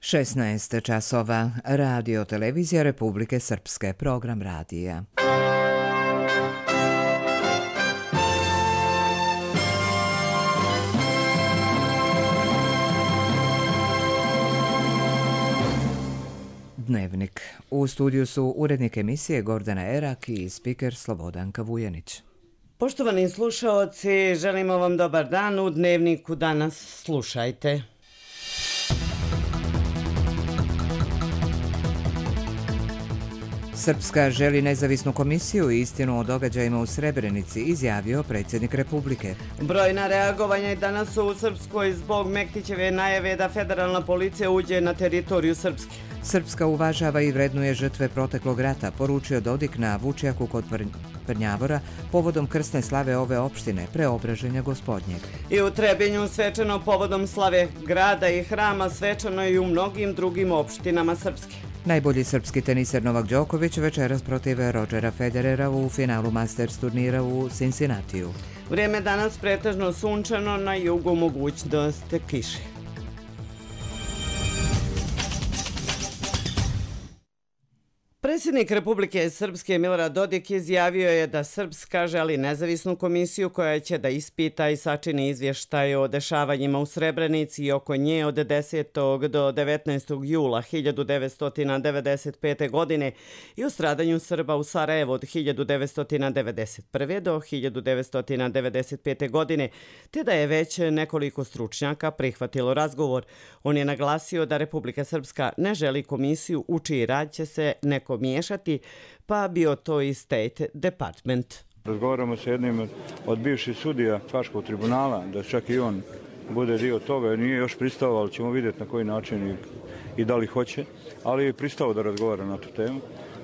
16 časova. Radio Televizija Republike Srpske. Program radija. Dnevnik. U studiju su urednik emisije Gordana Erak i spiker Slobodanka Vujanić. Poštovani slušaoci, želimo vam dobar dan. U Dnevniku danas slušajte. Srpska želi nezavisnu komisiju i istinu o događajima u Srebrenici, izjavio predsjednik Republike. Brojna reagovanja je danas u Srpskoj zbog Mektićeve najave da federalna policija uđe na teritoriju Srpske. Srpska uvažava i vrednuje žrtve proteklog rata, poručio Dodik na Vučjaku kod Prnjavora povodom krsne slave ove opštine, Preobraženja Gospodnjeg. I u Trebinju svečano povodom slave grada i hrama, svečano i u mnogim drugim opštinama Srpske. Najbolji srpski teniser Novak Đoković večeras protiv Rodgera Federera u finalu Masters turnira u Cincinnatiju. Vrijeme danas pretežno sunčano, na jugu mogućnost kiše. Predsjednik Republike Srpske Milorad Dodik izjavio je da Srpska želi nezavisnu komisiju koja će da ispita i sačini izvještaj o dešavanjima u Srebrenici i oko nje od 10. do 19. jula 1995. godine i o stradanju Srba u Sarajevu od 1991. do 1995. godine, te da je već nekoliko stručnjaka prihvatilo razgovor. On je naglasio da Republika Srpska ne želi komisiju u čiji rad će se neko miješati, pa bio to i State Department. Razgovaramo sa jednim od bivših sudija Haškog tribunala, da čak i on bude dio toga, nije još pristao, ali ćemo vidjeti na koji način i da li hoće, ali je pristao da razgovara na tu temu.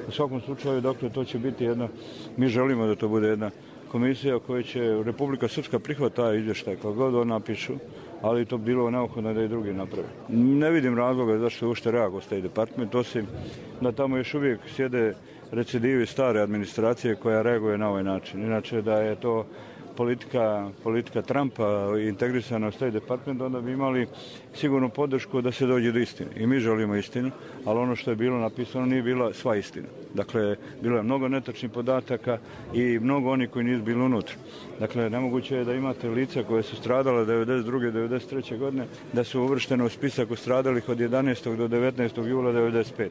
U svakom slučaju, dakle, to će biti jedna, mi želimo da to bude jedna komisija koja će Republika Srpska prihvati taj izvještaj, kako god on napišu, ali to bilo neophodno da i drugi naprave. Ne vidim razloga zašto je uopšte reagovao State Department, osim da tamo još uvijek sjede recidivi stare administracije koja reaguje na ovaj način. Inače da je to politika Trumpa integrisana u State Department, onda bi imali sigurnu podršku da se dođe do istine. I mi želimo istinu, ali ono što je bilo napisano nije bila sva istina. Dakle, bilo je mnogo netačnih podataka i mnogo onih koji nisu bili unutra. Dakle, nemoguće je da imate lica koje su stradale 92. 93. godine, da su uvrštene u spisak u stradalih od 11. do 19. jula 95.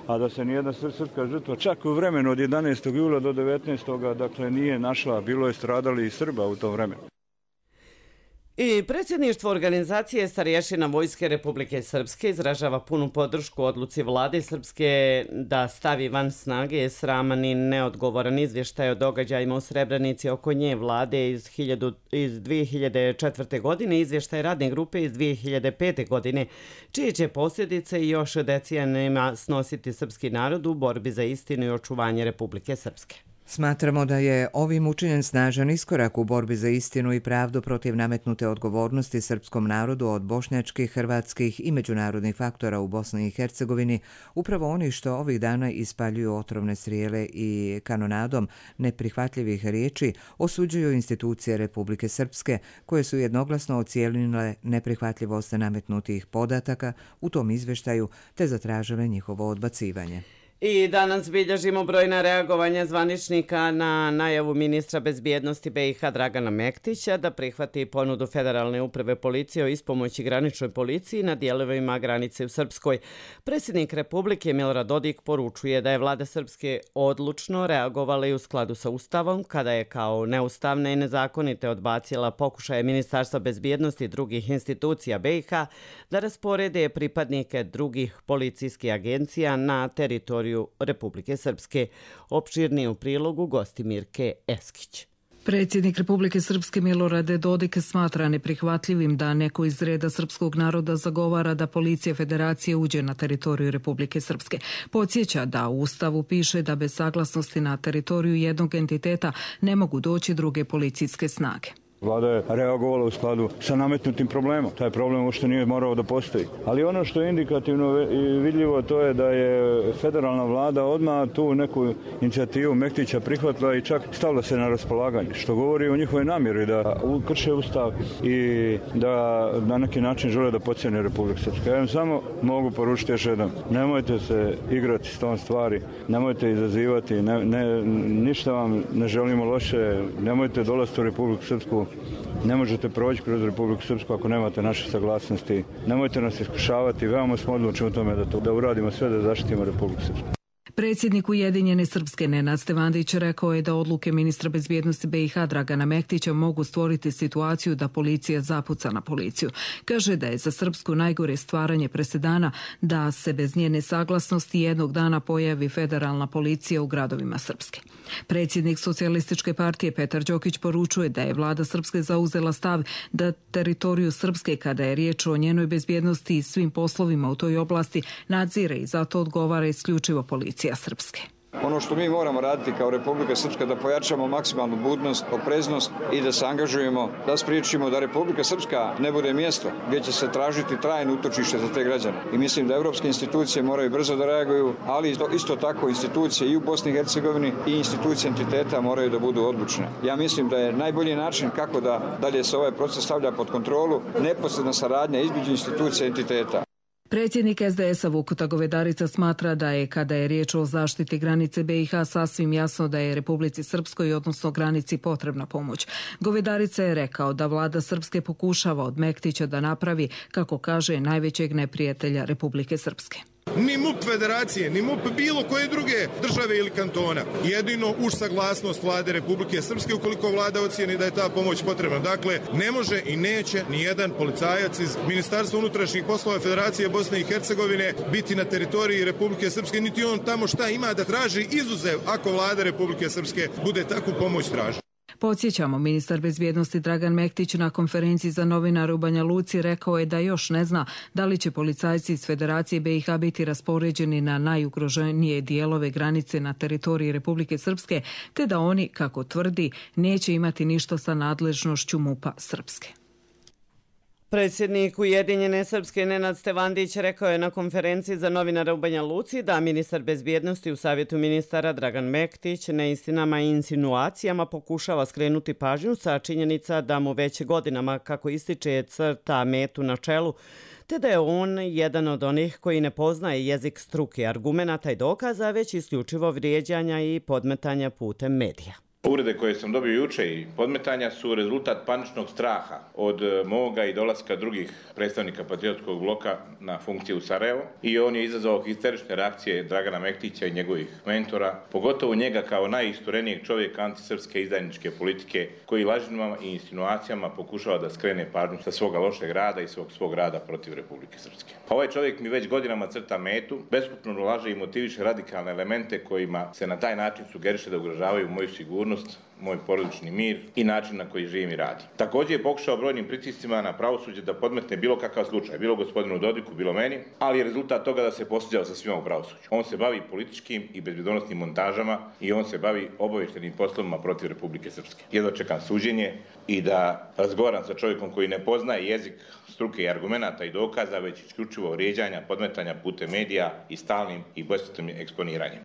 A da se nijedna srpska žrtva čak u vremenu od 11. jula do 19. dakle nije našla, bilo je stradali i Srba u tom vremenu. I predsjedništvo organizacije starješina Vojske Republike Srpske izražava punu podršku odluci vlade Srpske da stavi van snage sraman i neodgovoran izvještaj o događajima u Srebrenici oko nje vlade iz 2004. godine, izvještaj radne grupe iz 2005. godine, čije će posljedice još decenijama snositi srpski narod u borbi za istinu i očuvanje Republike Srpske. Smatramo da je ovim učinjen snažan iskorak u borbi za istinu i pravdu protiv nametnute odgovornosti srpskom narodu od bošnjačkih, hrvatskih i međunarodnih faktora u Bosni i Hercegovini, upravo oni što ovih dana ispaljuju otrovne strijele i kanonadom neprihvatljivih riječi osuđuju institucije Republike Srpske, koje su jednoglasno ocijenile neprihvatljivost nametnutih podataka u tom izvještaju te zatražile njihovo odbacivanje. I danas bilježimo brojna reagovanja zvaničnika na najavu ministra bezbjednosti BiH Dragana Mektića da prihvati ponudu Federalne uprave policije o ispomoći graničnoj policiji na dijelovima granice u Srpskoj. Predsjednik Republike Milorad Dodik poručuje da je vlada Srpske odlučno reagovala i u skladu sa Ustavom kada je kao neustavne i nezakonite odbacila pokušaje Ministarstva bezbjednosti i drugih institucija BiH da rasporede pripadnike drugih policijskih agencija na teritoriju Republike Srpske. Opširnije u prilogu Gostimirke Eskić. Predsjednik Republike Srpske Milorad Dodik smatra neprihvatljivim da neko iz reda srpskog naroda zagovara da policija federacije uđe na teritoriju Republike Srpske. Podsjeća da u Ustavu piše da bez saglasnosti na teritoriju jednog entiteta ne mogu doći druge policijske snage. Vlada je reagovala u skladu sa nametnutim problemom. Taj problem uopšte nije morao da postoji. Ali ono što je indikativno i vidljivo, to je da je federalna vlada odmah tu neku inicijativu Mektića prihvatila i čak stavila se na raspolaganje, što govori o njihovoj namjeri da krše ustav i da na neki način žele da pocijene Republiku Srpsku. Ja vam samo mogu poručiti još jednom, nemojte se igrati s tom stvari, nemojte izazivati, ništa vam ne želimo loše, nemojte dolaziti u Republiku Srpsku, ne možete proći kroz Republiku Srpsku ako nemate naše saglasnosti, nemojte nas iskušavati, veoma smo odlučni u tome da uradimo sve da zaštitimo Republiku Srpsku. Predsjednik Ujedinjene Srpske Nenad Stevandić rekao je da odluke ministra bezbjednosti BiH Dragana Mektića mogu stvoriti situaciju da policija zapuca na policiju. Kaže da je za Srpsku najgore stvaranje presedana da se bez njene saglasnosti jednog dana pojavi federalna policija u gradovima Srpske. Predsjednik Socijalističke partije Petar Đokić poručuje da je vlada Srpske zauzela stav da teritoriju Srpske, kada je riječ o njenoj bezbjednosti i svim poslovima u toj oblasti, nadzire i zato odgovara isključivo policija Srpske. Ono što mi moramo raditi kao Republika Srpska da pojačamo maksimalnu budnost, opreznost i da se angažujemo, da spriječimo da Republika Srpska ne bude mjesto gdje će se tražiti trajno utočište za te građane. I mislim da evropske institucije moraju brzo da reaguju, ali isto tako institucije i u Bosni i Hercegovini i institucije entiteta moraju da budu odlučne. Ja mislim da je najbolji način kako da dalje se ovaj proces stavlja pod kontrolu neposredna saradnja između institucija i entiteta. Predsjednik SDS-a Vukuta Govedarica smatra da je, kada je riječ o zaštiti granice BiH, sasvim jasno da je Republici Srpskoj, odnosno granici, potrebna pomoć. Govedarica je rekao da vlada Srpske pokušava od Mektića da napravi, kako kaže, najvećeg neprijatelja Republike Srpske. Ni MUP federacije, ni MUP bilo koje druge države ili kantona. Jedino uz saglasnost vlade Republike Srpske ukoliko vlada ocijeni da je ta pomoć potrebna. Dakle, ne može i neće ni jedan policajac iz Ministarstva unutrašnjih poslova Federacije Bosne i Hercegovine biti na teritoriji Republike Srpske, niti on tamo šta ima da traži, izuzev ako vlada Republike Srpske bude takvu pomoć traži. Podsjećamo, ministar bezbjednosti Dragan Mektić na konferenciji za novinare u Banja Luci rekao je da još ne zna da li će policajci iz Federacije BiH biti raspoređeni na najugroženije dijelove granice na teritoriji Republike Srpske, te da oni, kako tvrdi, neće imati ništa sa nadležnošću MUP-a Srpske. Predsjednik Ujedinjene Srpske Nenad Stevandić rekao je na konferenciji za novinare u Banja Luci da ministar bezbjednosti u savjetu ministara Dragan Mektić neistinama i insinuacijama pokušava skrenuti pažnju sa činjenica da mu već godinama, kako ističe, crta metu na čelu, te da je on jedan od onih koji ne poznaje jezik struke, argumenata i dokaza, već isključivo vrijeđanja i podmetanja putem medija. Uvrede koje sam dobio juče i podmetanja su rezultat paničnog straha od moga i dolaska drugih predstavnika patriotskog bloka na funkciju u Sarajevo i on je izazvao histerične reakcije Dragana Mektića i njegovih mentora, pogotovo njega kao najisturenijeg čovjeka antisrpske izdajničke politike koji lažima i insinuacijama pokušava da skrene pažnju sa svoga lošeg rada i svog rada protiv Republike Srpske. Ovaj čovjek mi već godinama crta metu, beskupno laže i motiviše radikalne elemente kojima se na taj način sugeriše da ugrožavaju moju sigurnost, moj porodični mir i način na koji živim i radim. Također je pokušao brojnim pritiscima na pravosuđe da podmetne bilo kakav slučaj, bilo gospodinu Dodiku, bilo meni, ali je rezultat toga da se posvađao sa svima u pravosuđu. On se bavi političkim i bezbjednosnim montažama i on se bavi obavještajnim poslovima protiv Republike Srpske. Jedva čekam suđenje i da razgovaram sa čovjekom koji ne poznaje jezik struke i argumenata i dokaza, već isključivo vrijeđanja, podmetanja putem medija i stalnim i besplatnim eksponiranjem.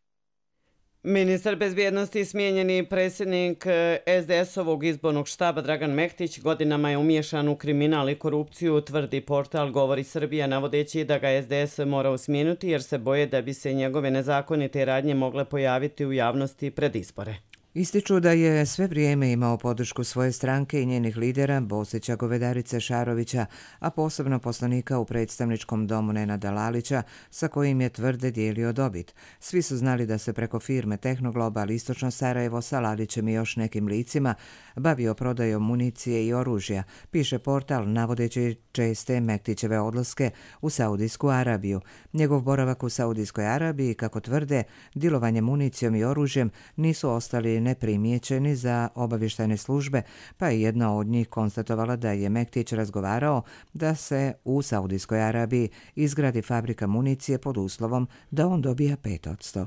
Ministar bezbjednosti i smijenjeni predsjednik SDS-ovog izbornog štaba Dragan Mektić godinama je umiješan u kriminal i korupciju, tvrdi portal Govori Srbija, navodeći da ga SDS mora smijeniti jer se boje da bi se njegove nezakonite radnje mogle pojaviti u javnosti pred izbore. Ističu da je sve vrijeme imao podršku svoje stranke i njenih lidera Bosića, Govedarice, Šarovića, a posebno poslanika u predstavničkom domu Nenada Lalića, sa kojim je tvrde dijelio dobit. Svi su znali da se preko firme Tehnoglobal Istočno Sarajevo sa Lalićem i još nekim licima bavio prodajom municije i oružja, piše portal navodeći česte Mektićeve odlaske u Saudijsku Arabiju. Njegov boravak u Saudijskoj Arabiji, kako tvrde, dilovanje municijom i oružjem nisu ostali neprimjećeni za obavještajne službe, pa je jedna od njih konstatovala da je Mektić razgovarao da se u Saudijskoj Arabiji izgradi fabrika municije pod uslovom da on dobija 5%.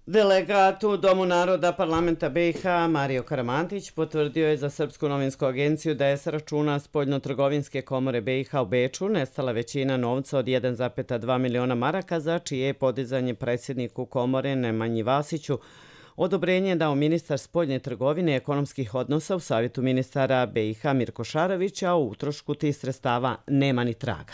Delegat u Domu naroda parlamenta BiH Mario Karamantić potvrdio je za Srpsku novinsku agenciju da je s računa Spoljnotrgovinske komore BiH u Beču nestala većina novca od 1,2 miliona maraka za čije je podizanje predsjedniku komore Nemanji Vasiću odobrenje je dao ministar spoljne trgovine i ekonomskih odnosa u Savjetu ministara BiH Mirko Šarović, a o utrošku tih sredstava nema ni traga.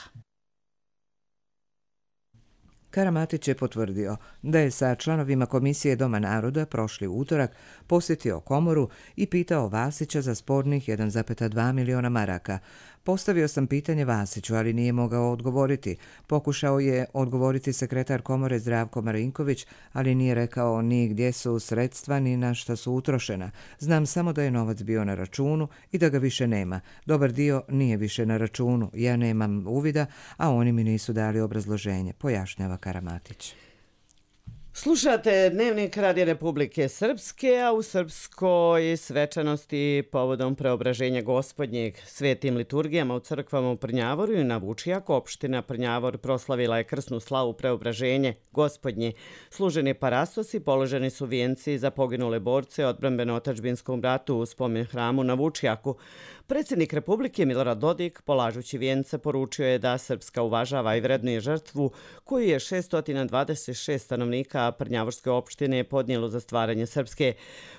Karamatić je potvrdio da je sa članovima Komisije Doma naroda prošli utorak posjetio komoru i pitao Vasića za spornih 1,2 miliona maraka. Postavio sam pitanje Vasiću, ali nije mogao odgovoriti. Pokušao je odgovoriti sekretar komore Zdravko Marinković, ali nije rekao ni gdje su sredstva ni na šta su utrošena. Znam samo da je novac bio na računu i da ga više nema. Dobar dio nije više na računu. Ja nemam uvida, a oni mi nisu dali obrazloženje, pojašnjava Karamatić. Slušate Dnevnik Radija Republike Srpske, a u srpskoj svečanosti povodom preobraženja Gospodnjeg svetim liturgijama u crkvama u Prnjavoru i na Vučijaku opština Prnjavor proslavila je krsnu slavu preobraženje Gospodnje. Služeni parastosi, položeni su vijenci za poginule borce odbrambeno-otadžbinskom ratu u spomen hramu na Vučijaku. Predsjednik Republike Milorad Dodik, polažući vijence, poručio je da Srpska uvažava i vrednuje žrtvu koju je 626 stanovnika Prnjavorske opštine podnijelo za stvaranje Srpske.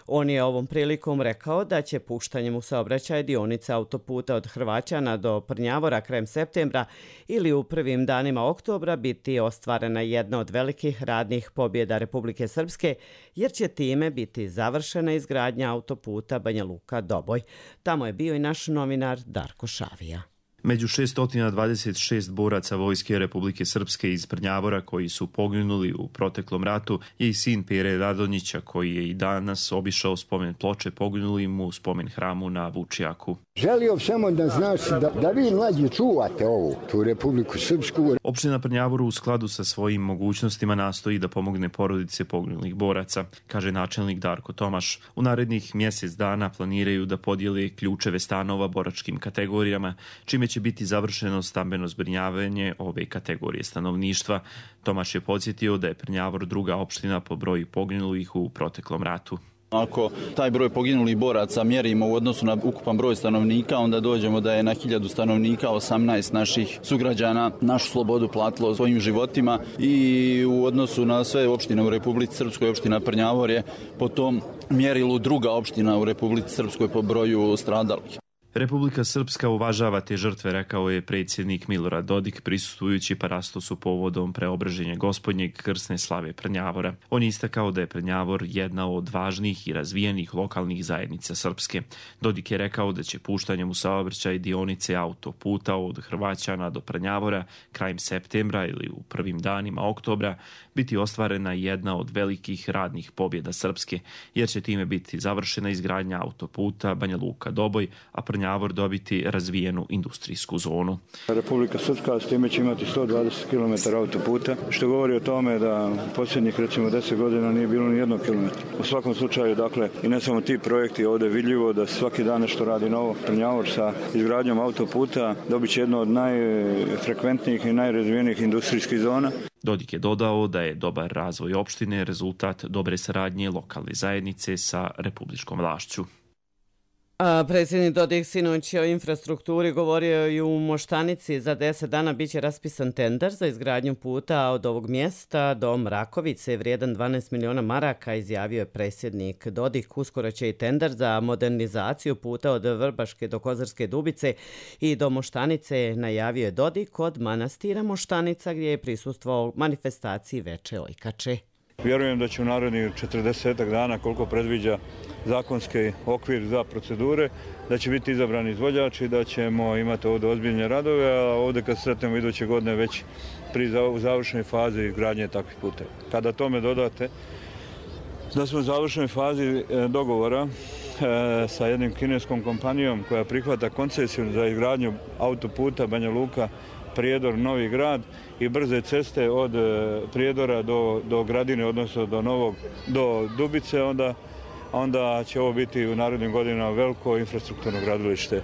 On je ovom prilikom rekao da će puštanjem u saobraćaj dionice autoputa od Hrvaćana do Prnjavora krajem septembra ili u prvim danima oktobra biti ostvarena jedna od velikih radnih pobjeda Republike Srpske, jer će time biti završena izgradnja autoputa Banja Luka-Doboj. Tamo je bio i naš novinar Darko Šavija. Među 626 boraca Vojske Republike Srpske iz Prnjavora koji su poginuli u proteklom ratu je i sin Pere Radonjića koji je i danas obišao spomen ploče poginulim u spomen hramu na Vučijaku. Želio samo da znaš da vi mlađi čuvate tu Republiku Srpsku. Opština Prnjavoru u skladu sa svojim mogućnostima nastoji da pomogne porodice poginulih boraca, kaže načelnik Darko Tomaš. U narednih mjesec dana planiraju da podijele ključeve stanova boračkim kategorijama, čime će biti završeno stambeno zbrinjavanje ove kategorije stanovništva. Tomaš je podsjetio da je Prnjavor druga opština po broju poginulih u proteklom ratu. Ako taj broj poginulih boraca mjerimo u odnosu na ukupan broj stanovnika, onda dođemo da je na 1000 stanovnika 18 naših sugrađana našu slobodu platilo svojim životima i u odnosu na sve opštine u Republici Srpskoj opština Prnjavor je po tom mjerilu druga opština u Republici Srpskoj po broju stradalih. Republika Srpska uvažava te žrtve, rekao je predsjednik Milorad Dodik prisustvujući parastosu povodom preobraženja Gospodnjeg krsne slave Prnjavora. On je istakao da je Prnjavor jedna od važnih i razvijenih lokalnih zajednica Srpske. Dodik je rekao da će puštanjem u saobraćaj dionice autoputa od Hrvaćana do Prnjavora krajem septembra ili u prvim danima oktobra biti ostvarena jedna od velikih radnih pobjeda Srpske, jer će time biti završena izgradnja autoputa Banja Luka-Doboj, a Prnjavor dobiti razvijenu industrijsku zonu. Republika Srpska s time će imati 120 km autoputa, što govori o tome da posljednjih recimo 10 godina nije bilo ni jednog kilometra. U svakom slučaju, dakle, i ne samo ti projekti, ovdje je vidljivo da svaki dan nešto radi novo. Prnjavor sa izgradnjom autoputa dobit će jedno od najfrekventnijih i najrazvijenijih industrijskih zona. Dodik je dodao da je dobar razvoj opštine rezultat dobre saradnje lokalne zajednice sa republičkom vlašću. Predsjednik Dodik sinoć o infrastrukturi govorio i u Moštanici. Za 10 dana biće raspisan tender za izgradnju puta od ovog mjesta do Mrakovice vrijedan 12 miliona maraka, izjavio je predsjednik Dodik. Uskoro će i tender za modernizaciju puta od Vrbaške do Kozarske Dubice i do Moštanice, najavio je Dodik od manastira Moštanica gdje je prisustvovao manifestaciji Veče Ojkače. Vjerujem da će u narednih 40 dana, koliko predviđa zakonski okvir za procedure, da će biti izabrani izvođači, da ćemo imati ovdje ozbiljne radove, a ovdje kad sretnemo iduće godine već pri završnoj fazi izgradnje takvih puteva. Kada tome dodate da smo u završnoj fazi dogovora sa jednim kineskom kompanijom koja prihvata koncesiju za izgradnju autoputa Banja Luka Prijedor Novi Grad i brze ceste od Prijedora do Gradine, odnosno do Dubice, onda će ovo biti u narednim godinama veliko infrastrukturno gradilište.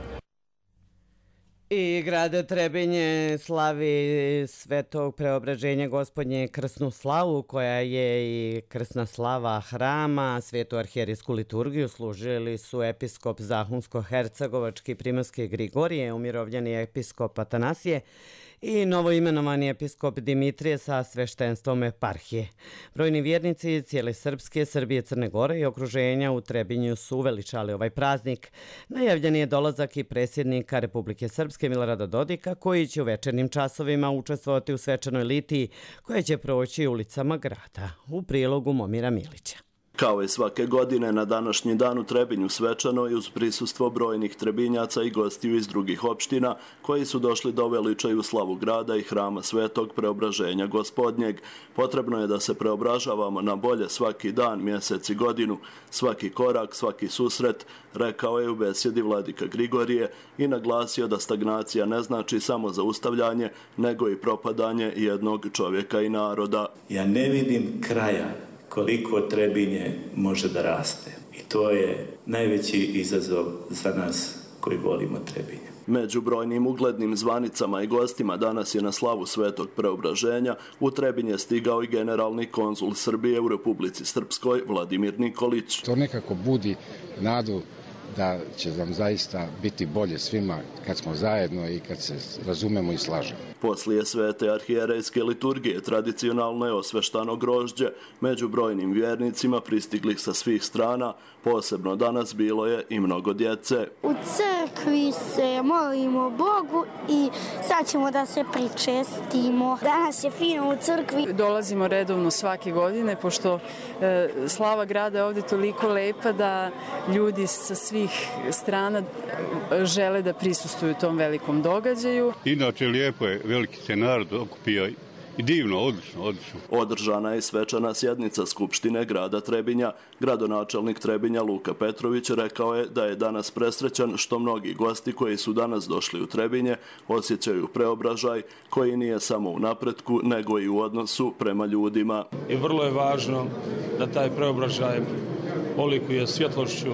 I grad Trebinje slavi Svetog Preobraženja Gospodnje krsnu slavu, koja je i krsna slava hrama. Svetu arhijerijsku liturgiju služili su episkop Zahumsko-hercegovački Primorske Grigorije, umirovljeni episkop Atanasije i novoimenovani episkop Dimitrije sa sveštenstvom eparhije. Brojni vjernici cijele Srpske, Srbije, Crne Gore i okruženja u Trebinju su uveličali ovaj praznik. Najavljen je dolazak i predsjednika Republike Srpske Milorada Dodika, koji će u večernjim časovima učestvovati u svečanoj litiji koja će proći ulicama grada. U prilogu Momira Milića. Kao i svake godine, na današnji dan u Trebinju svečano i uz prisustvo brojnih Trebinjaca i gostiju iz drugih opština koji su došli da uveličaju slavu grada i hrama Svetog Preobraženja Gospodnjeg. Potrebno je da se preobražavamo na bolje svaki dan, mjesec i godinu, svaki korak, svaki susret, rekao je u besjedi vladika Grigorije i naglasio da stagnacija ne znači samo zaustavljanje, nego i propadanje jednog čovjeka i naroda. Ja ne vidim kraja koliko Trebinje može da raste. I to je najveći izazov za nas koji volimo Trebinje. Među brojnim uglednim zvanicama i gostima danas je na slavu Svetog Preobraženja u Trebinje stigao i generalni konzul Srbije u Republici Srpskoj Vladimir Nikolić. To nekako budi nadu da će nam zaista biti bolje svima kad smo zajedno i kad se razumemo i slažemo. Poslije svete arhijerejske liturgije tradicionalno je osveštano grožđe. Među brojnim vjernicima pristiglih sa svih strana, posebno danas bilo je i mnogo djece. U crkvi se molimo Bogu i sad ćemo da se pričestimo. Danas je fino u crkvi. Dolazimo redovno svake godine, pošto slava grada je ovdje toliko lepa da ljudi sa svih strana žele da prisustvuju tom velikom događaju. Inače lijepo je, veliki se narod okupio i divno, odlično. Održana je svečana sjednica Skupštine grada Trebinja. Gradonačelnik Trebinja Luka Petrović rekao je da je danas presrećan što mnogi gosti koji su danas došli u Trebinje osjećaju preobražaj koji nije samo u napretku nego i u odnosu prema ljudima. I vrlo je važno da taj preobražaj olikuje svjetlošću,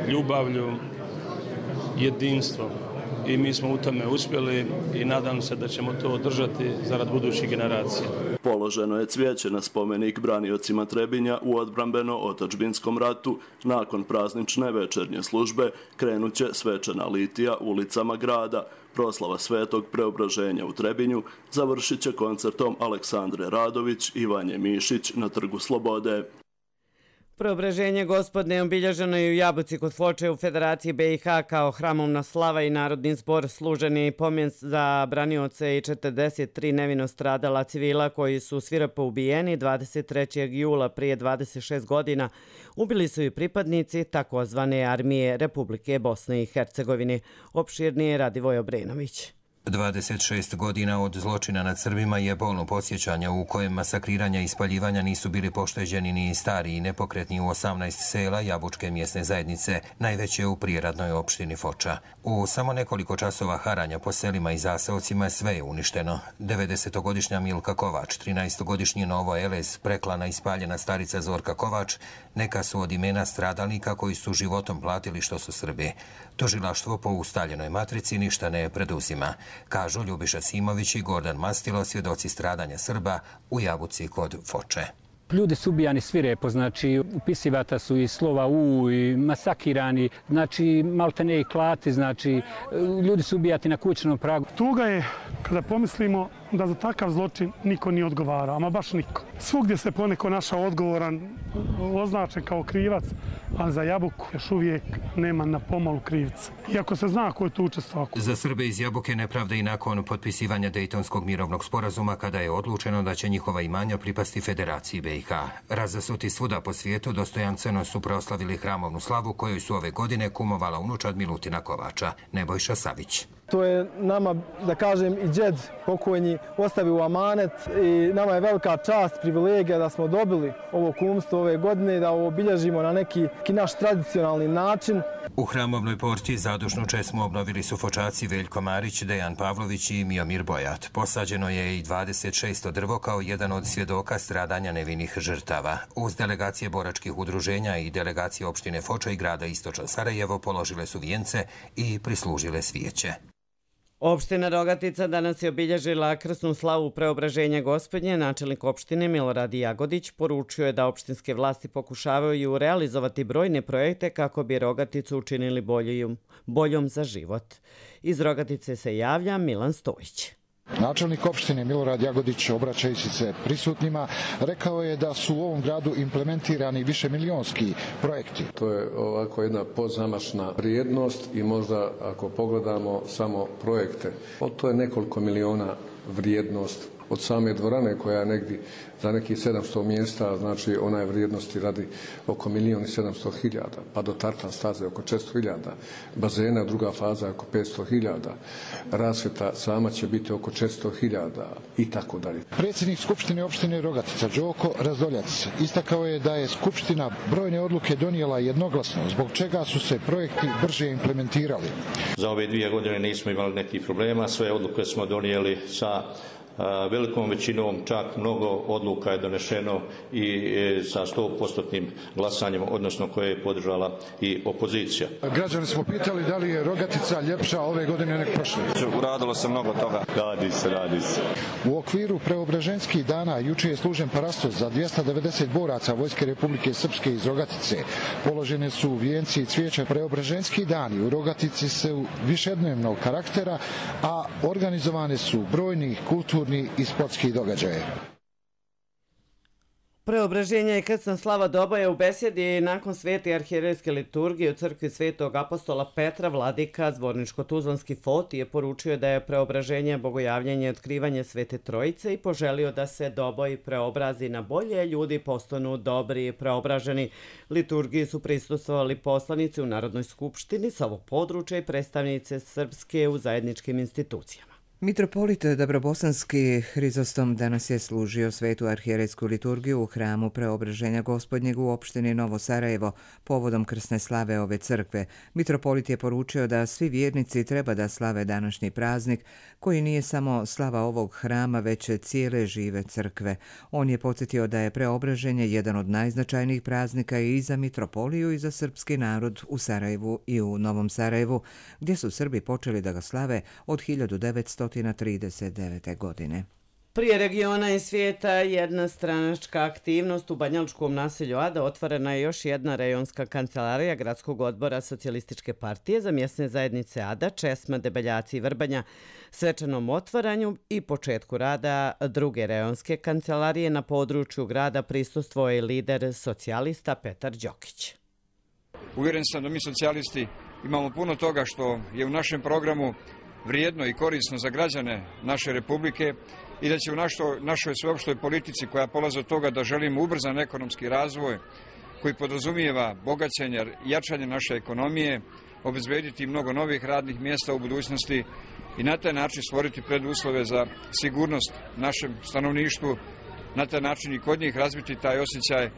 ljubavlju, jedinstvom. I mi smo u tome uspjeli i nadam se da ćemo to održati zarad budućih generacija. Položeno je cvijeće na spomenik braniocima Trebinja u odbrambeno-otadžbinskom ratu. Nakon praznične večernje službe krenuće svečana litija ulicama grada. Proslava Svetog Preobraženja u Trebinju završit će koncertom Aleksandre Radović i Vanje Mišić na Trgu Slobode. Preobraženje Gospodnje obilježeno je u Jabuci kod Foče u Federaciji BiH kao hramovna slava i narodni zbor. Služen je i pomen za branioce i 43 nevino stradala civila koji su svirepo ubijeni 23. jula prije 26 godina. Ubili su i pripadnici takozvane armije Republike Bosne i Hercegovine. Opširnije Radivoj Obrenović. 26 godina od zločina nad Srbima je bolno podsjećanje u kojem masakriranja i spaljivanja nisu bili pošteđeni ni stari i nepokretni u 18 sela Jabučke mjesne zajednice, najveće u prijeradnoj opštini Foča. U samo nekoliko časova haranja po selima i zaseocima sve je uništeno. 90-godišnja Milka Kovač, 13-godišnji Novo Elez, preklana i spaljena starica Zorka Kovač, neka su od imena stradalnika koji su životom platili što su Srbi. Tužilaštvo po ustaljenoj matrici ništa ne preduzima, kažu Ljubiša Simović i Gordan Mastilo, svjedoci stradanja Srba u Jabuci kod Foče. Ljudi su ubijani svirepo, znači upisivata su i slova U i masakirani, znači maltene i klati, znači ljudi su ubijati na kućnom pragu. Tuga je kada pomislimo da za takav zločin niko nije odgovarao, ama baš niko. Svugdje se poneko našao odgovoran, označen kao krivac, ali za Jabuku još uvijek nema na pomolu krivca. Iako se zna ko je tu učestvovao. Za Srbe iz Jabuke nepravda i nakon potpisivanja Dejtonskog mirovnog sporazuma kada je odlučeno da će njihova imanja pripasti Federaciji BiH. Razasuti svuda po svijetu dostojanstveno su proslavili hramovnu slavu kojoj su ove godine kumovala unučad Milutina Kovača, Nebojša Savić. To je nama, da kažem, i džed pokojni ostavio u amanet i nama je velika čast, privilegija da smo dobili ovo kumstvo ove godine, da ovo obilježimo na neki naš tradicionalni način. U hramovnoj porti zadušnu česmu obnovili su Fočaci Veljko Marić, Dejan Pavlović i Miomir Bojat. Posađeno je i 26 drvo kao jedan od svjedoka stradanja nevinih žrtava. Uz delegacije boračkih udruženja i delegacije opštine Foča i grada Istočno Sarajevo položile su vijence i prislužile svijeće. Opština Rogatica danas je obilježila krsnu slavu Preobraženja Gospodnje. Načelnik opštine Milorad Jagodić poručio je da opštinske vlasti pokušavaju realizovati brojne projekte kako bi Rogaticu učinili boljom za život. Iz Rogatice se javlja Milan Stojić. Načelnik opštine Milorad Jagodić, obraćajući se prisutnima, rekao je da su u ovom gradu implementirani višemilionski projekti. To je ovako jedna pozamašna vrijednost i možda ako pogledamo samo projekte, to je nekoliko miliona vrijednost. Od same dvorane koja je negdje za nekih 700 mjesta, znači ona je vrijednosti radi oko 1.700.000, pa do tartan staze oko 400.000, bazena druga faza oko 500.000, rasvjeta sama će biti oko 400.000 i tako dalje. Predsjednik Skupštine opštine Rogatica Đoko Razdoljac istakao je da je Skupština brojne odluke donijela jednoglasno, zbog čega su se projekti brže implementirali. Za ove 2 godine nismo imali nekih problema, sve odluke smo donijeli sa velikom većinom, čak mnogo odluka je donešeno i sa 100% glasanjem, odnosno koje je podržala i opozicija. Građani smo pitali da li je Rogatica ljepša ove godine nek prošle. Uradilo se mnogo toga. Radi se. U okviru Preobraženskih dana juče je služen parastos za 290 boraca Vojske Republike Srpske iz Rogatice. Položene su vijenci i cvijeća. Preobraženski dani u Rogatici su višednevnog karaktera, a organizovane su brojni kulturni i sportski događaje. Preobraženje i krsna slava doba je u besjedi nakon svete arhijerejske liturgije u crkvi Svetog apostola Petra. Vladika Zvorničko-Tuzlanski Foti je poručio da je preobraženje, bogojavljanje i otkrivanje Svete Trojice i poželio da se doboj preobrazi na bolje, ljudi postanu dobri i preobraženi. Liturgiji su prisustvovali poslanici u Narodnoj skupštini sa ovog područja i predstavnice Srpske u zajedničkim institucijama. Mitropolit Dabrobosanski Hrizostom danas je služio svetu arhijerejsku liturgiju u hramu Preobraženja Gospodnjeg u opštini Novo Sarajevo povodom krsne slave ove crkve. Mitropolit je poručio da svi vjernici treba da slave današnji praznik, koji nije samo slava ovog hrama, već cijele žive crkve. On je podsjetio da je Preobraženje jedan od najznačajnijih praznika i za mitropoliju i za srpski narod u Sarajevu i u Novom Sarajevu, gdje su Srbi počeli da ga slave od 1939. godine. Prije regiona i svijeta jedna stranačka aktivnost u banjalučkom naselju Ada. Otvorena je još jedna rejonska kancelarija Gradskog odbora Socijalističke partije za mjesne zajednice Ada, Česma, Debeljaci i Vrbanja. Svečanom otvaranju i početku rada druge rejonske kancelarije na području grada prisustvovao je lider socijalista Petar Đokić. Uvjeren sam da mi socijalisti imamo puno toga što je u našem programu vrijedno i korisno za građane naše republike i da će u našoj sveopštoj politici koja polazi od toga da želimo ubrzan ekonomski razvoj koji podrazumijeva bogaćenje i jačanje naše ekonomije, obezbediti mnogo novih radnih mjesta u budućnosti i na taj način stvoriti preduslove za sigurnost našem stanovništvu, na taj način i kod njih razviti taj osjećaj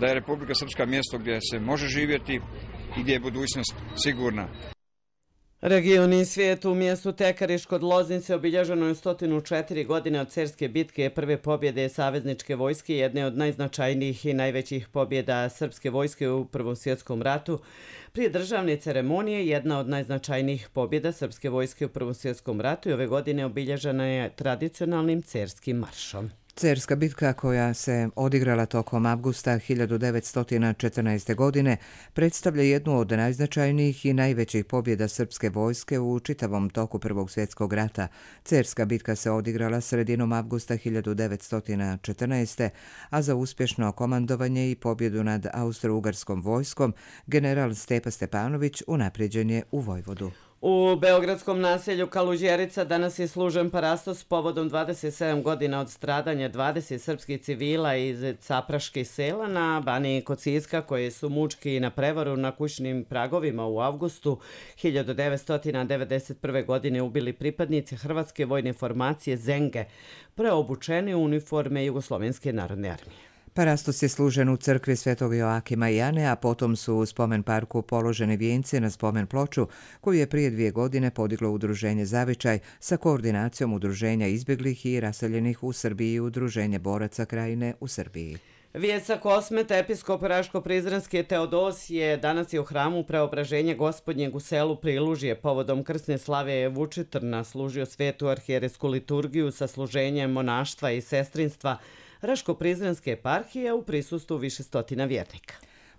da je Republika Srpska mjesto gdje se može živjeti i gdje je budućnost sigurna. Region i svijet u mjestu Tekariš kod Loznice obilježeno je 104 godine od Cerske bitke, prve pobjede savezničke vojske, jedne od najznačajnijih i najvećih pobjeda srpske vojske u Prvom svjetskom ratu. Prije državne ceremonije jedna od najznačajnijih pobjeda srpske vojske u Prvom svjetskom ratu i ove godine obilježena je tradicionalnim Cerskim maršom. Cerska bitka, koja se odigrala tokom avgusta 1914. godine, predstavlja jednu od najznačajnijih i najvećih pobjeda srpske vojske u čitavom toku Prvog svjetskog rata. Cerska bitka se odigrala sredinom avgusta 1914. a za uspješno komandovanje i pobjedu nad austro-ugarskom vojskom general Stepa Stepanović unaprijeđen je u Vojvodu. U beogradskom naselju Kaluđerica danas je služen parastos povodom 27 godina od stradanja 20 srpskih civila iz Capraških sela na Baniji kod Siska, koje su mučki na prevaru na kućnim pragovima u avgustu 1991. godine ubili pripadnici Hrvatske vojne formacije Zenge, preobučeni u uniforme Jugoslovenske narodne armije. Parastos je služen u crkvi Svetog Joakima i Jane, a potom su u spomen parku položeni vijenci na spomen ploču koju je prije 2 godine podiglo Udruženje Zavičaj sa koordinacijom Udruženja izbjeglih i raseljenih u Srbiji i Udruženje boraca Krajine u Srbiji. Vijest sa Kosmeta, episkop Raško-Prizrenski Teodosije danas je u hramu Preobraženja Gospodnjeg u selu Prilužje povodom krsne slave Vučitrna služio svetu arhijeresku liturgiju sa služenjem monaštva i sestrinstva Raško-Prizrenske eparhije u prisustvu više stotina vjernika.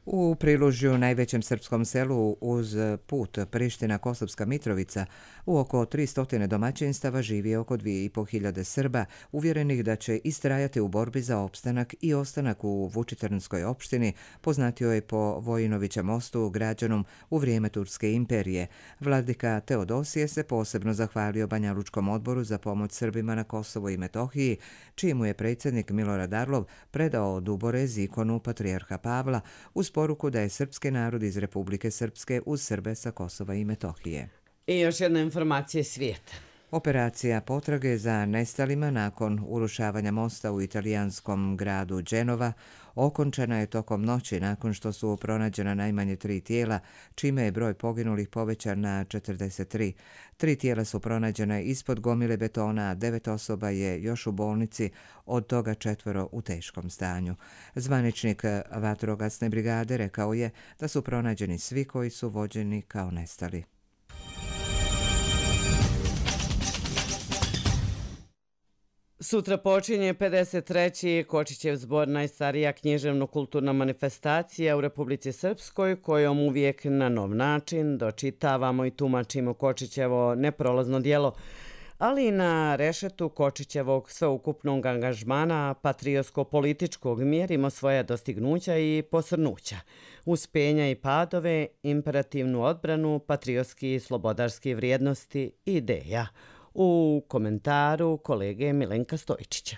U Prilužju, najvećem srpskom selu uz put Priština-Kosovska Mitrovica, u oko 300 domaćinstava živi oko 2500 Srba, uvjerenih da će istrajati u borbi za opstanak i ostanak u Vučitrnskoj opštini, poznatio je po Vojinovića mostu građanom u vrijeme Turske imperije. Vladika Teodosije se posebno zahvalio Banjalučkom odboru za pomoć Srbima na Kosovu i Metohiji, čijemu je predsjednik Milorad Arlov predao duborez ikonu patrijarha Pavla uz poruku da je srpski narod iz Republike Srpske uz Srbe sa Kosova i Metohije. I još jedna informacija svijeta. Operacija potrage za nestalima nakon urušavanja mosta u italijanskom gradu Genova okončana je tokom noći nakon što su pronađena najmanje 3 tijela, čime je broj poginulih povećan na 43. 3 tijela su pronađena ispod gomile betona, a 9 osoba je još u bolnici, od toga 4 u teškom stanju. Zvaničnik vatrogasne brigade rekao je da su pronađeni svi koji su vođeni kao nestali. Sutra počinje 53. Kočićev zbor, najstarija književno-kulturna manifestacija u Republici Srpskoj, kojom uvijek na nov način dočitavamo i tumačimo Kočićevo neprolazno dijelo, ali i na rešetu Kočićevog sveukupnog angažmana patriotsko-političkog mjerimo svoja dostignuća i posrnuća, uspenja i padove, imperativnu odbranu, patriotski i slobodarski vrijednosti i ideja. U komentaru kolege Milenka Stojčića.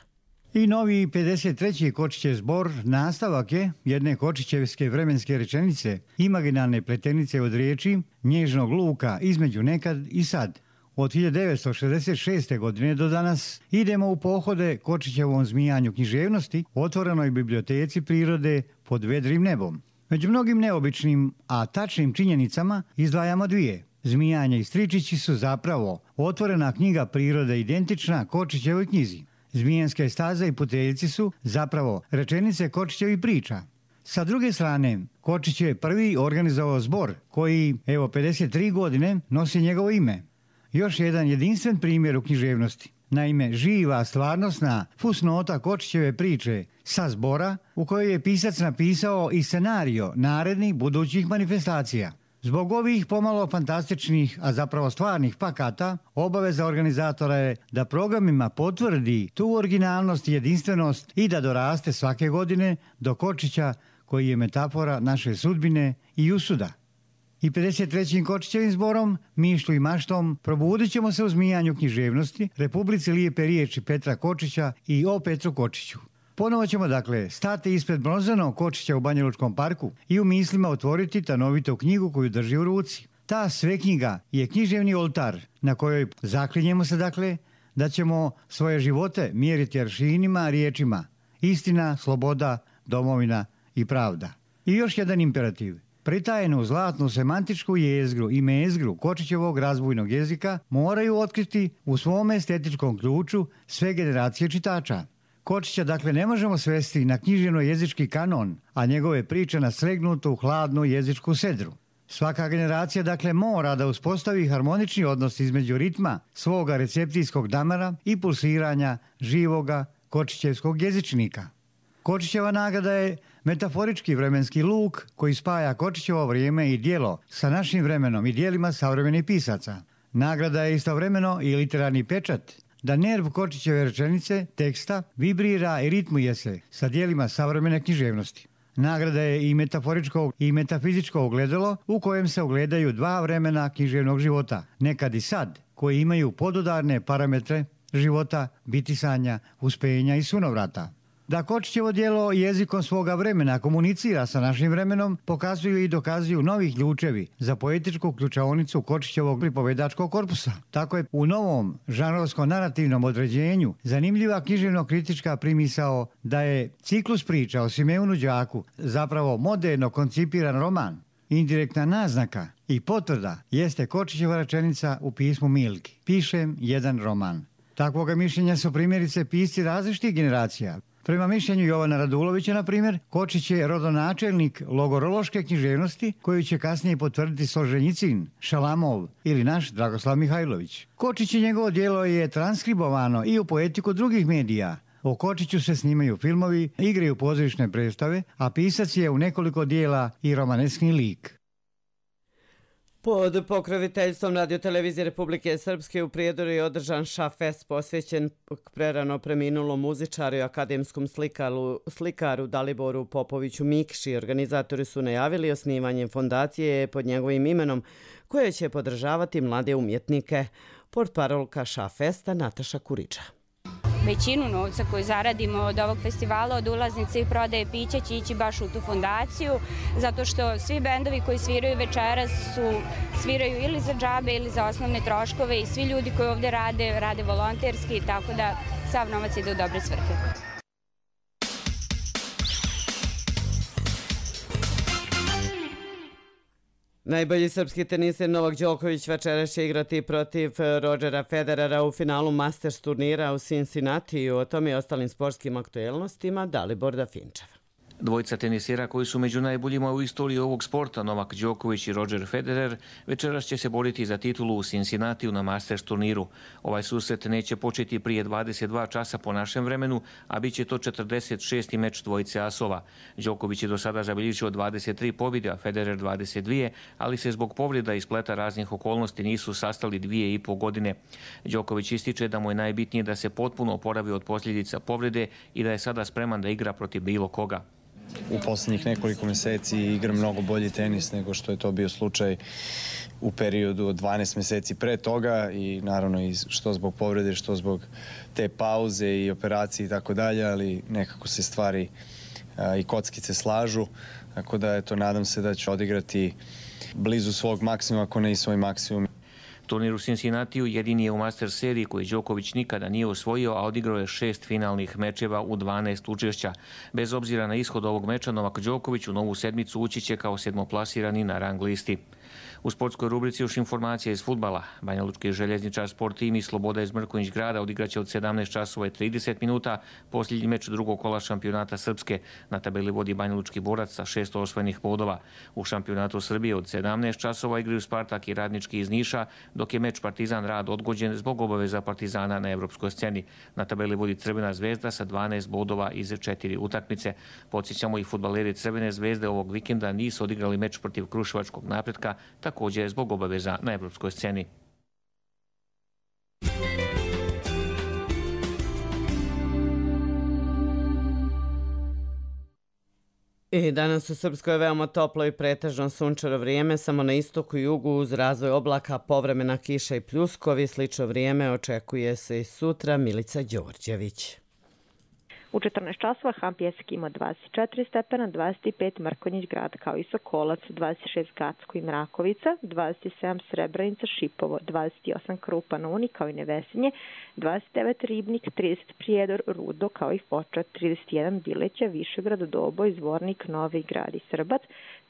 I novi 53. Kočićev zbor nastavak je jedne kočićevske vremenske rečenice, imaginalne pletenice od riječi nježnog luka između nekad i sad. Od 1966. godine do danas idemo u pohode Kočićevom zmijanju književnosti, otvorenoj biblioteci prirode pod vedrim nebom. Među mnogim neobičnim, a tačnim činjenicama izdvajamo 2. Zmijanje i stričići su zapravo otvorena knjiga prirode identična Kočićevoj knjizi. Zmijenske staze i puteljci su zapravo rečenice Kočićevih priča. Sa druge strane, Kočić je prvi organizovao zbor koji, evo 53 godine, nosi njegovo ime. Još jedan jedinstven primjer u književnosti. Naime, živa, stvarnosna fusnota Kočićeve priče sa zbora u kojoj je pisac napisao i scenario narednih budućih manifestacija. Zbog ovih pomalo fantastičnih, a zapravo stvarnih pakata, obaveza organizatora je da programima potvrdi tu originalnost i jedinstvenost i da doraste svake godine do Kočića koji je metafora naše sudbine i usuda. I 53. Kočićevim zborom, mišlju i maštom, probudit ćemo se u zmijanju književnosti, Republici lijepe riječi Petra Kočića i o Petru Kočiću. Ponovo ćemo, dakle, stati ispred bronzanog Kočića u Banjalučkom parku i u mislima otvoriti tanovitu knjigu koju drži u ruci. Ta sve knjiga je književni oltar na kojoj zaklinjemo se, dakle, da ćemo svoje živote mjeriti aršinima, riječima. Istina, sloboda, domovina i pravda. I još jedan imperativ. Pritajenu zlatnu semantičku jezgru i mezgru Kočićevog razbojnog jezika moraju otkriti u svom estetičkom ključu sve generacije čitača. Kočića, dakle, ne možemo svesti na književno-jezički kanon, a njegove priče na slegnutu, hladnu jezičku sedru. Svaka generacija, dakle, mora da uspostavi harmonični odnos između ritma svoga receptijskog damara i pulsiranja živoga kočićevskog jezičnika. Kočićeva nagrada je metaforički vremenski luk koji spaja Kočićevo vrijeme i djelo sa našim vremenom i djelima savremenih pisaca. Nagrada je istovremeno i literarni pečat da nerv Kočićeve rečenice, teksta, vibrira i ritmuje se sa dijelima savremene književnosti. Nagrada je i metaforičko i metafizičko ogledalo u kojem se ogledaju 2 vremena književnog života, nekad i sad, koji imaju podudarne parametre života, bitisanja, uspenja i sunovrata. Da Kočićevo djelo jezikom svoga vremena komunicira sa našim vremenom, pokazuju i dokazuju novi ključevi za poetičku ključaonicu Kočićevog pripovedačkog korpusa. Tako je u novom žanrovsko-narativnom određenju zanimljiva književno-kritička primisao da je ciklus priča o Simeonu Đaku zapravo moderno koncipiran roman. Indirektna naznaka i potvrda jeste Kočićeva rečenica u pismu Milki. Pišem jedan roman. Takvoga mišljenja su primjerice pisci različitih generacija. Prema mišljenju Jovana Radulovića, na primjer, Kočić je rodonačelnik logorološke književnosti koju će kasnije potvrditi Solženjicin, Šalamov ili naš Dragoslav Mihajlović. Kočić i njegovo djelo je transkribovano i u poetiku drugih medija. O Kočiću se snimaju filmovi, igraju pozorišne predstave, a pisac je u nekoliko dijela i romaneskni lik. Pod pokroviteljstvom Radio-televizije Republike Srpske u Prijedoru je održan šafest posvećen prerano preminulom muzičaru i akademskom slikaru Daliboru Popoviću Mikši. Organizatori su najavili osnivanje fondacije pod njegovim imenom koje će podržavati mlade umjetnike. Portparolka šafesta Nataša Kuriča. Većinu novca koju zaradimo od ovog festivala, od ulaznice i prodaje pića će ići baš u tu fondaciju, zato što svi bendovi koji sviraju večeras sviraju ili za džabe ili za osnovne troškove i svi ljudi koji ovdje rade volonterski, tako da sav novac ide u dobre svrhe. Najbolji srpski teniser Novak Đoković večeras će igrati protiv Rodgera Federera u finalu Masters turnira u Cincinnatiju. O tome i ostalim sportskim aktuelnostima Dalibor Dafinčev. Dvojica tenisera koji su među najboljima u istoriji ovog sporta, Novak Đoković i Roger Federer, večeras će se boriti za titulu u Cincinnatiju na Masters turniru. Ovaj susret neće početi prije 22 časa po našem vremenu, a bit će to 46. meč dvojice asova. Đoković je do sada zabilježio 23 pobjede, a Federer 22, ali se zbog povreda i spleta raznih okolnosti nisu sastali 2,5 godine. Đoković ističe da mu je najbitnije da se potpuno oporavi od posljedica povrede i da je sada spreman da igra protiv bilo koga. U posljednjih nekoliko mjeseci igram mnogo bolji tenis nego što je to bio slučaj u periodu od 12 mjeseci pre toga i naravno i što zbog povrede, što zbog te pauze i operacije i tako dalje, ali nekako se stvari i kockice slažu, tako da eto, nadam se da ću odigrati blizu svog maksimuma, ako ne i svoj maksimum. Turnir u Cincinnatiju jedini je u Masters seriji koji Đoković nikada nije osvojio, a odigrao je 6 finalnih mečeva u 12 učešća. Bez obzira na ishod ovog meča, Novak Đoković u novu sedmicu ući će kao sedmoplasirani na rang listi. U sportskoj rubrici još informacija iz fudbala. Banjalučki željezničar Sport tim i Sloboda iz Mrkonjić grada odigraće od 17 časova i 30 minuta posljednji meč drugog kola šampionata Srpske. Na tabeli vodi Banjalučki borac sa 6 osvojenih bodova. U šampionatu Srbije od 17 časova igraju Spartak i Radnički iz Niša, dok je meč Partizan Rad odgođen zbog obaveza Partizana na evropskoj sceni. Na tabeli vodi Crvena zvezda sa 12 bodova iz 4 utakmice. Podsjećamo i fudbaleri Crvene zvezde ovog vikenda nisu odigrali meč protiv Kruševačkog Napretka, također zbog obaveza na evropskoj sceni. I danas u Srpskoj je veoma toplo i pretežno sunčano vrijeme, samo na istoku i jugu uz razvoj oblaka, povremena kiša i pljuskovi. Slično vrijeme očekuje se i sutra. Milica Đorđević. U 14 časova Hampjeski ima 24 stepena, 25 Mrkonjić grad kao i Sokolac, 26 Gacko i Mrakovica, 27 Srebrenica, Šipovo, 28 Krupa na Uni kao i Nevesinje, 29 Ribnik, 30 Prijedor, Rudo kao i Foča, 31 Bileća, Višegrad, Doboj, Zvornik, Novi Grad i Srbac,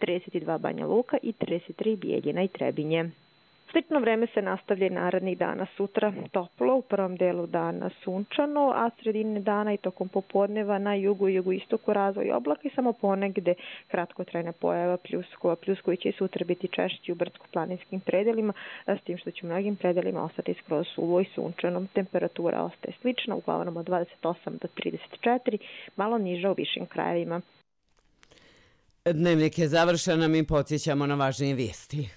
32 Banja Luka i 33 Bijeljina i Trebinje. Slično vreme se nastavlja i narednih dana. Sutra toplo, u prvom delu dana sunčano, a sredine dana i tokom popodneva na jugu i jugoistoku razvoj oblaka i samo ponegde kratkotrajna pojava pljuskova. Pljuskovi će sutra biti češći u brdsko-planinskim predelima, s tim što će u mnogim predelima ostati skroz suvo i sunčano. Temperatura ostaje slična, uglavnom od 28 do 34, malo niža u višim krajevima. Dnevnik je završen, mi podsjećamo na važnije vijesti.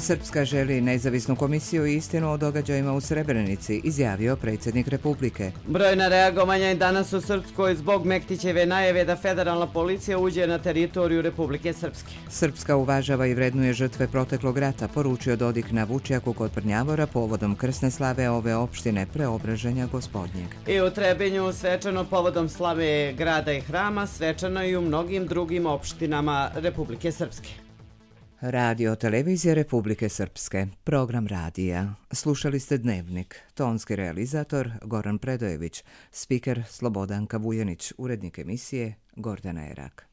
Srpska želi nezavisnu komisiju i istinu o događajima u Srebrenici, izjavio predsjednik Republike. Brojna reagovanja je danas u Srpskoj zbog Mektićeve najave da federalna policija uđe na teritoriju Republike Srpske. Srpska uvažava i vrednuje žrtve proteklog rata, poručio Dodik na Vučjaku kod Prnjavora povodom krsne slave ove opštine Preobraženja Gospodnjeg. I u Trebinju svečano povodom slave grada i hrama, svečano i u mnogim drugim opštinama Republike Srpske. Radio televizije Republike Srpske, program radija. Slušali ste Dnevnik, tonski realizator Goran Predojević, spiker Slobodanka Vujanić, urednik emisije Gordana Erak.